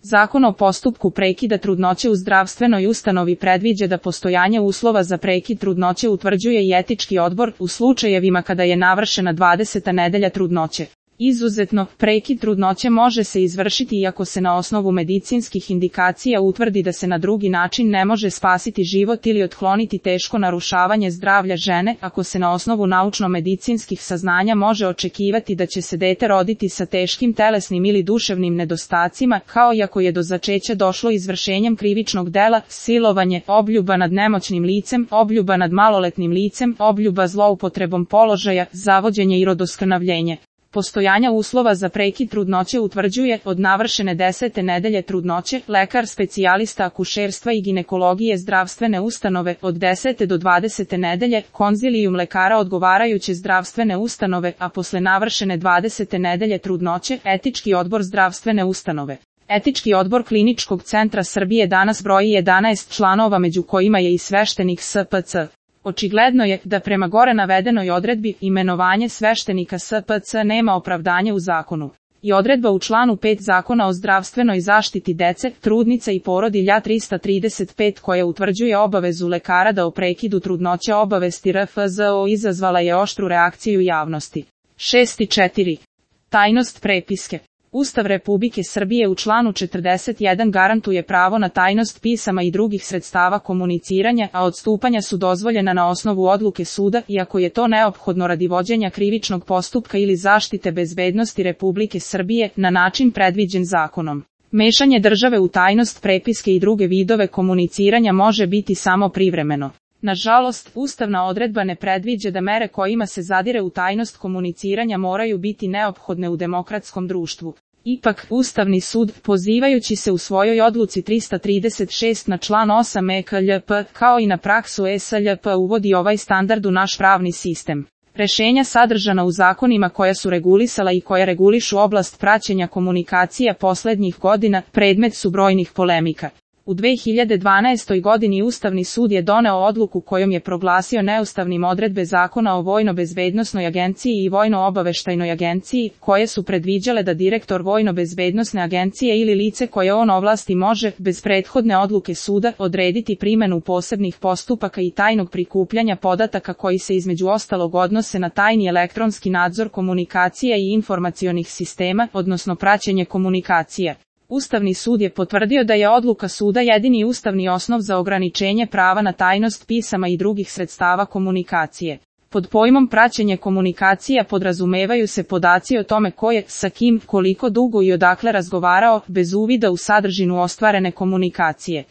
Zakon o postupku prekida trudnoće u zdravstvenoj ustanovi predviđa da postojanje uslova za prekid trudnoće utvrđuje i etički odbor u slučajevima kada je navršena 20. nedelja trudnoće. Izuzetno, prekid trudnoće može se izvršiti iako se na osnovu medicinskih indikacija utvrdi da se na drugi način ne može spasiti život ili otkloniti teško narušavanje zdravlja žene, ako se na osnovu naučno-medicinskih saznanja može očekivati da će se dete roditi sa teškim telesnim ili duševnim nedostacima, kao i ako je do začeća došlo izvršenjem krivičnog dela, silovanje, obljuba nad nemoćnim licem, obljuba nad maloletnim licem, obljuba zloupotrebom položaja, zavođenje i rodoskrnavljenje. Postojanja uslova za prekid trudnoće utvrđuje od navršene 10. nedelje trudnoće lekar specijalista akušerstva i ginekologije zdravstvene ustanove, od 10. do 20. nedelje konzilijum lekara odgovarajuće zdravstvene ustanove, a posle navršene 20. nedelje trudnoće etički odbor zdravstvene ustanove. Etički odbor Kliničkog centra Srbije danas broji 11 članova, među kojima je i sveštenik SPC. Očigledno je da prema gore navedenoj odredbi imenovanje sveštenika SPC nema opravdanje u zakonu. I odredba u članu 5 Zakona o zdravstvenoj zaštiti dece, trudnica i porodilja 335 koja utvrđuje obavezu lekara da o prekidu trudnoće obavesti RFZO izazvala je oštru reakciju javnosti. 6.4. Tajnost prepiske. Ustav Republike Srbije u članu 41 garantuje pravo na tajnost pisama i drugih sredstava komuniciranja, a odstupanja su dozvoljena na osnovu odluke suda, iako je to neophodno radi vođenja krivičnog postupka ili zaštite bezbednosti Republike Srbije, na način predviđen zakonom. Mešanje države u tajnost prepiske i druge vidove komuniciranja može biti samo privremeno. Nažalost, ustavna odredba ne predviđa da mere kojima se zadire u tajnost komuniciranja moraju biti neophodne u demokratskom društvu. Ipak, Ustavni sud, pozivajući se u svojoj odluci 336 na član 8 EKLJP, kao i na praksu SLJP, uvodi ovaj standard u naš pravni sistem. Rešenja sadržana u zakonima koja su regulisala i koja regulišu oblast praćenja komunikacija poslednjih godina, predmet su brojnih polemika. U 2012. godini Ustavni sud je doneo odluku kojom je proglasio neustavnim odredbe Zakona o Vojno-bezbednosnoj agenciji i Vojno-obaveštajnoj agenciji, koje su predviđale da direktor Vojno-bezbednosne agencije ili lice koje on ovlasti može, bez prethodne odluke suda, odrediti primenu posebnih postupaka i tajnog prikupljanja podataka koji se između ostalog odnose na tajni elektronski nadzor komunikacija i informacionih sistema, odnosno praćenje komunikacija. Ustavni sud je potvrdio da je odluka suda jedini ustavni osnov za ograničenje prava na tajnost pisama i drugih sredstava komunikacije. Pod pojmom praćenje komunikacija podrazumevaju se podaci o tome ko je, sa kim, koliko dugo i odakle razgovarao, bez uvida u sadržinu ostvarene komunikacije.